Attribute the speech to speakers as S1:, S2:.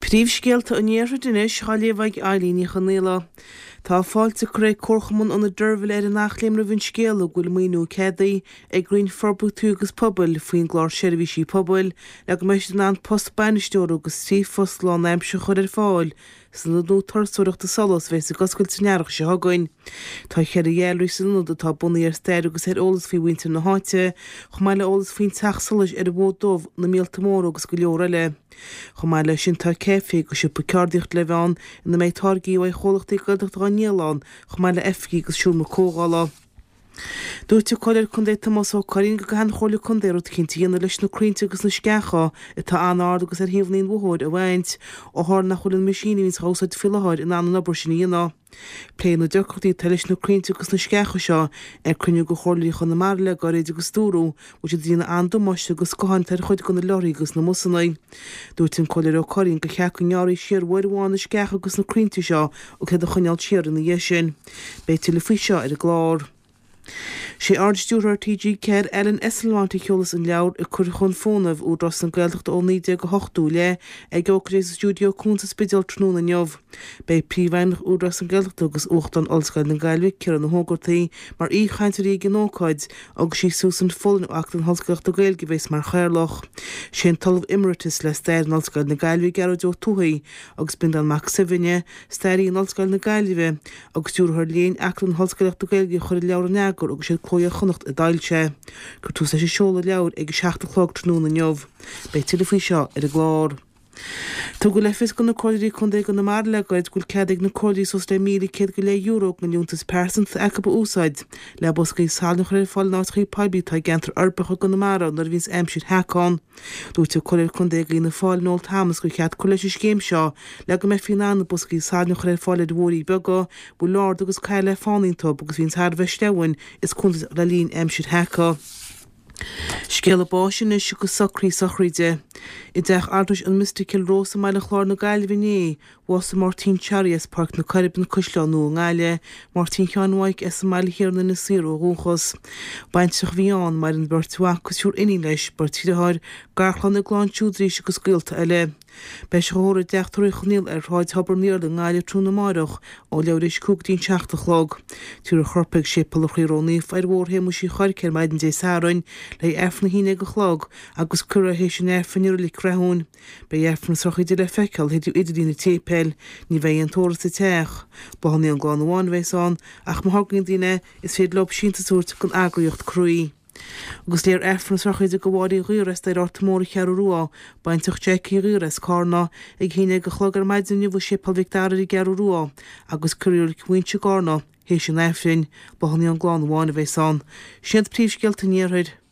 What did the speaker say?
S1: Príomhscéalta an Iarthair anois á léamh ag Eilín Ní Chonaola. Tá fáilte curtha ag Comharchumann Ionad Deirbhile ar an Eachléim roimh an scéala go bhfuil maoiniú ceadaithe ag Roinn Forbartha Tuaithe agus Pobail faoin gClár Seirbhísí Pobail le go mbeidh siad in ann post bainisteora agus 3 phost lánaimseartha a chur ar fáil san ionad nua turasóireachta Solas a bheas ag oscailt san earrach seo chugainn. Tá cheithre ghailearaí san ionad atá bunaithe ar stair agus ar eolas faoi mhuintir na háite, chomh maith le eolas faoin teach solais ar an bhFód Dubh, na míolta móra agus go leor eile. Chomh maith leis sin tá caife agus siopa ceardaíochta le bheith ann ina mbeidh táirgí ó chomhlachtaí Gaeltachta á ndíol ann, chomh maith le oifigí agus seomra comhdhála. Dúirt an Comhairleoir Contae Tomás Ó Curraoin go gcaithfidh an Chomhairle Contae rud eicínt a dhéanamh leis na crainnte agus na sceacha atá an-ard agus ar thaobhanna an bhóthair a bhaint, ó tharla nach bhfuil an meaisín a bhíonns á úsáid faoi láthair in ann an obair sin a dhéanamh. Pléadh na deacrachtaí atá leis na crainnte agus na sceacha seo ar cruinniú de Chomhairleoirí Chonamara le gairid agus dúradh go bhfuil siad ag déanamh an-damáiste do scátháin atá ar chuid de na leoraithe agus na mbusanna. Dúirt an Comhairleoir Ó Curraoin gur cheart go ngearrfaí siar uair amháin na sceacha agus na crainnte seo agus iad a choinneáil siar ina dhiaidh sin. Beidh tuilleadh faoi seo ar an gclár. Sé Ard-Stiúrthóir TG4, Alan Esslemont a sheolfas an leabhar Ag Cur Chun Fónaimh, Údarás na Gaeltachta ó 1980 i leith, ag ócáid sa Stiúideo Cuan sa Spidéal tráthnóna inniu. Beidh Príomhfheidhmeannach Údarás na Gaeltachta agus Uachtarán Ollscoil na Gaillimhe, Ciarán Ó hÓgartaigh, mar aoichainteoirí ag an ócáid agus sí Susan Folan ó Acadamh na hOllscolaíochta Gaeilge a bheas mar chathaoirleach. Sé an tOllamh Emeritus le Stair in Ollscoil na Gaillimhe, Gearóid Ó Tuathaigh, agus Breandán Mac Suibhne, Staraí in Ollscoil na Gaillimhe agus Stiúrthóir Léinn Acadamh na hOllscolaíochta Gaeilge a chuir an leabhar in eagar agus siad Cló Iar-Chonnacht a d'fhoilsigh é. Cuirfear tús leis an seoladh leabhair ag 7 a chlog tráthnóna inniu. Beidh tuilleadh faoi seo ar an gclár. Tugadh le fios do na Comhairleoirí Contae i gConamara le gairid go bhfuil cead ag na Comhairleoirí suas le €1,100 den liúntas pearsanta atá acu a úsáid le boscaí salainn a chur ar fáil in áiteachaí poiblí atá i gceantar uirbeacha i gConamara nuair a bhíonns aimsir sheaca ann. Dúirt an Comhairleoir Contae d'Fhianna Fáil, Noel Thomas, gur cheart cur leis an scéim seo le go mbeifí in ann na boscaí salainn a chur ar fáil ar bhóithrí beaga a bhfuil ard agus caol le fána iontu agus a bhíonn thar a bheith sleamhain is contúirteach le linn aimsir sheaca. Scéala báis anois agus socruithe sochraide. I dteach altrais an Mystic Cill Rois i mBaile Chláir na Gaillimhe inné, Bhásaigh Máirtín Charlie as Páirc na Coiribe, An Caisleán Nua i nGaillimh, Máirtín Sheáin Mhaidhc as an mBaile Thiar in Inis Oírr ó dhúchas. Baintreach a bhí ann, maireann beirt mhac agus triúr iníon leis, beirt dheartháir, garchlann i gclann siúd arís agus gaolta eile. Beidh sé á thórramh i dTeach Tórraimh Uí Chonghaile ar Shráid Thobar an Iarla i nGaillimh tráthnóna amárach ó leathuair tar éis 5 go dtí an 7 a chlog. Tabharfar a chorp chuig Séipéal an Chroí Ró-Naofa ar Bhóthar Shéamuis Uí Chorca ar maidin Dé Sathairn le haghaidh Aifreann a 11 a chlog agus cuirfear é théis an Aifrinn i Reilig Rathúin. Beidh Aifreann na sochraide le feiceáil thríd idirlíon an tséipéil. Ní bheidh aon tórramh sa teach. Bláthanna ón gclann amháin a bheas ann, ach má thograíonn daoine é, is féidir leo síntiús a thabhairt don eagraíocht Croí. Agus léifear Aifreann na sochraide do Mháire Uí Ghaora as Doire Fhearta Mór an Cheathrú Rua, baintreach Jackie Uí Ghaora as Cárna, ag 11 a chlog ar maidin inniu i Séipéal Mhic Dara ar an gCeathrú Rua, agus cuirfear í i Reilig Mhuinse i gCárna, théis an Aifrinn. Bláthanna ón gclann amháin a bheas ann. Sin iad príomhscéalta an Iarthair.